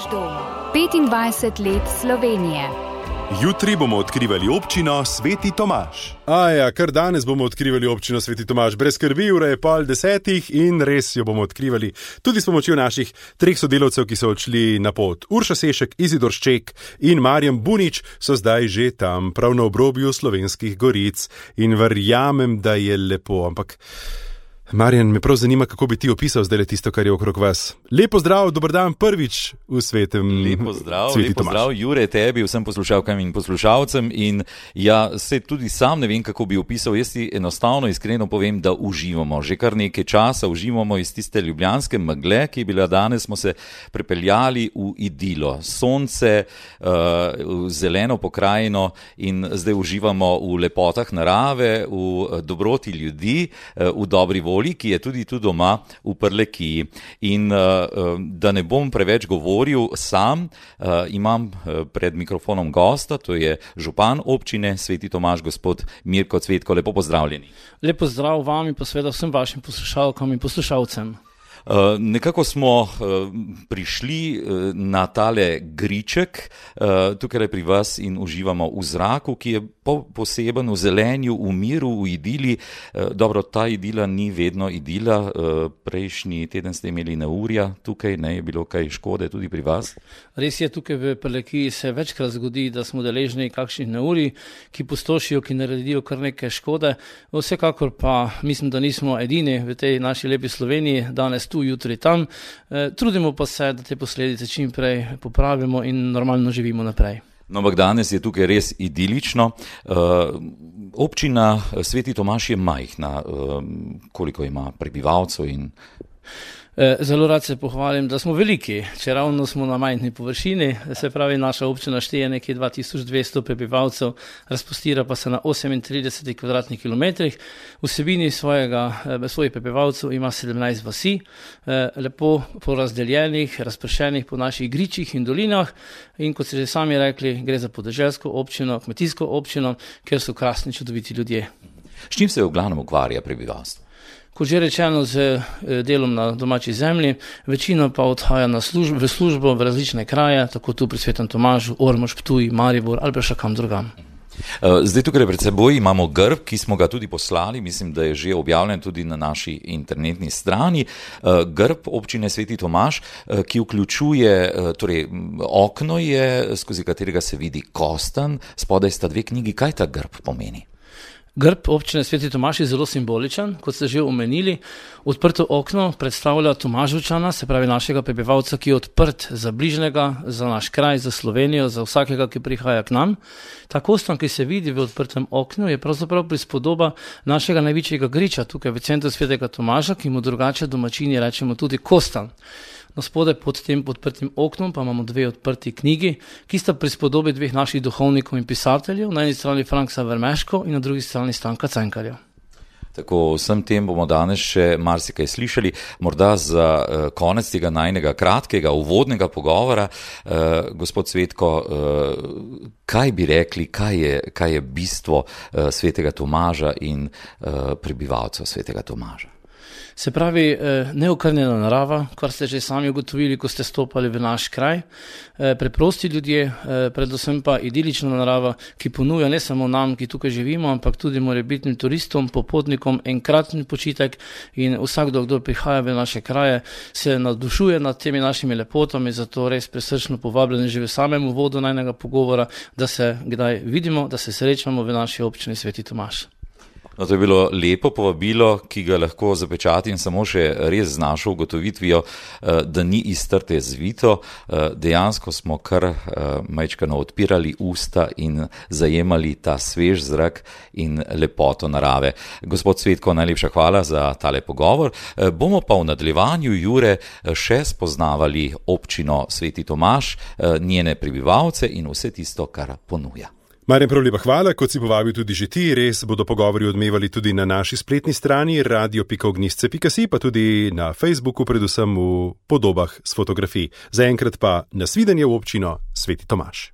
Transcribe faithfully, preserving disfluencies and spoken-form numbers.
Naš dom. petindvajset let Slovenije. Jutri bomo odkrivali občino Sveti Tomaž. Aja, kar danes bomo odkrivali občino Sveti Tomaž. Brez skrbi, ura je pol desetih in res jo bomo odkrivali tudi s pomočjo naših treh sodelavcev, ki so odšli na pot. Urša Sešek, Izidor Šček in Marjan Bunič so zdaj že tam, prav na obrobju Slovenskih goric. In verjamem, da je lepo, ampak Marjan, me prav zanima, kako bi ti opisal zdaj tisto, kar je okrog vas. Lepo zdrav, dober dan prvič v svetem Lepo zdrav, Sveti lepo Tomaž. zdrav, Jure, tebi, vsem poslušalkam in poslušalcem. In ja, se tudi sam ne vem, kako bi opisal. Jaz ti enostavno, iskreno povem, da uživamo. Že kar nekaj časa uživamo iz tiste ljubljanske megle, ki je bila danes, smo se prepeljali v idilo. Sonce, uh, zeleno pokrajino in zdaj uživamo v lepotah narave, v dobroti ljudi, uh, v dobri volji, ki je tudi tu doma v Prlekiji. In uh, da ne bom preveč govoril sam, uh, imam pred mikrofonom gosta, to je župan občine Sveti Tomaž, gospod Mirko Cvetko. Lepo pozdravljeni. Lepo zdrav vam in pa seveda vsem vašim poslušalkam in poslušalcem. Uh, nekako smo uh, prišli uh, na tale griček, uh, tukaj pri vas in uživamo v zraku, ki je po, poseben v zelenju, v miru, v idili. Uh, dobro, ta idila ni vedno idila. Uh, prejšnji teden ste imeli neurja tukaj, ne je bilo kaj škode tudi pri vas? Res je, tukaj v Prlekiji se večkrat zgodi, da smo deležni kakšnih neurij, ki pustošijo, ki naredijo kar nekaj škode. Vsekakor pa mislim, da nismo edini v tej naši lepi Sloveniji, danes tu, jutri tam. E, trudimo pa se, da te posledice čim prej popravimo in normalno živimo naprej. No, ampak danes je tukaj res idilično. Uh, občina Sveti Tomaž je majhna. Uh, koliko ima prebivalcev in... Zelo rad se pohvalim, da smo veliki, če ravno smo na majhni površini, se pravi naša občina šteje nekje dva tisoč dvesto prebivalcev, razpostira pa se na osemintrideset kvadratnih kilometrih, vsebini svojega, svojih prebivalcev ima sedemnajst vasi, lepo porazdeljenih, razpršenih po naših gričih in dolinah in kot ste že sami rekli, gre za podeželsko občino, kmetijsko občino, kjer so krasni čudoviti ljudje. S čim se v glavnem ukvarja prebivalstvo? Kot že rečeno, z delom na domači zemlji, večina pa odhaja na služb, v službo v različne kraje, tako tu pri Svetem Tomažu, Ormož, Ptuj, Maribor ali pa še kam drugam. Zdaj tukaj pred seboj imamo grb, ki smo ga tudi poslali, mislim, da je že objavljen tudi na naši internetni strani. Grb občine Sveti Tomaž, ki vključuje, torej okno je, skozi katerega se vidi kostanj, spodaj sta dve knjigi. Kaj ta grb pomeni? Grb občine Sveti Tomaž je zelo simboličen, kot ste že omenili. Odprto okno predstavlja Tomaževčana, se pravi našega prebivalca, ki je odprt za bližnjega, za naš kraj, za Slovenijo, za vsakega, ki prihaja k nam. Ta kostan, ki se vidi v odprtem oknu, je pravzaprav prispodoba našega največjega griča tukaj v centru Svetega Tomaža, ki mu drugače domačini rečemo tudi kostan. No, spodaj pod tem odprtim oknom pa imamo dve odprti knjigi, ki sta prispodobi dveh naših duhovnikov in pisateljev, na eni strani Franksa Vermeško in na drugi strani Stanka Cankarja. Tako, vsem tem bomo danes še marsikaj slišali. Morda za uh, konec tega najnega kratkega uvodnega pogovora, uh, gospod Cvetko, uh, kaj bi rekli, kaj je, kaj je bistvo uh, Svetega Tomaža in uh, prebivalcev Svetega Tomaža? Se pravi, neokrnjena narava, kar ste že sami ugotovili, ko ste stopali v naš kraj, preprosti ljudje, predvsem pa idilična narava, ki ponuja ne samo nam, ki tukaj živimo, ampak tudi morebitnim turistom, popotnikom enkratni počitek in vsakdo, kdo prihaja v naše kraje, se navdušuje nad temi našimi lepotami, zato res presrčno povabljeni že v samem uvodu najnega pogovora, da se kdaj vidimo, da se srečamo v naši občini Sveti Tomaž. No, to je bilo lepo povabilo, ki ga lahko zapečatim samo še res z našo ugotovitvijo, da ni iz trte zvito. Dejansko smo kar majčkano odpirali usta in zajemali ta svež zrak in lepoto narave. Gospod Cvetko, najlepša hvala za tale pogovor. Bomo pa v nadaljevanju, Jure, še spoznavali občino Sveti Tomaž, njene prebivalce in vse tisto, kar ponuja. Marjan, prav lepa hvala, kot si povabil tudi že ti, res bodo pogovori odmevali tudi na naši spletni strani radio pika ognjišče pika si, pa tudi na Facebooku, predvsem v podobah s fotografij. Zaenkrat pa nasvidenje v občino Sveti Tomaž.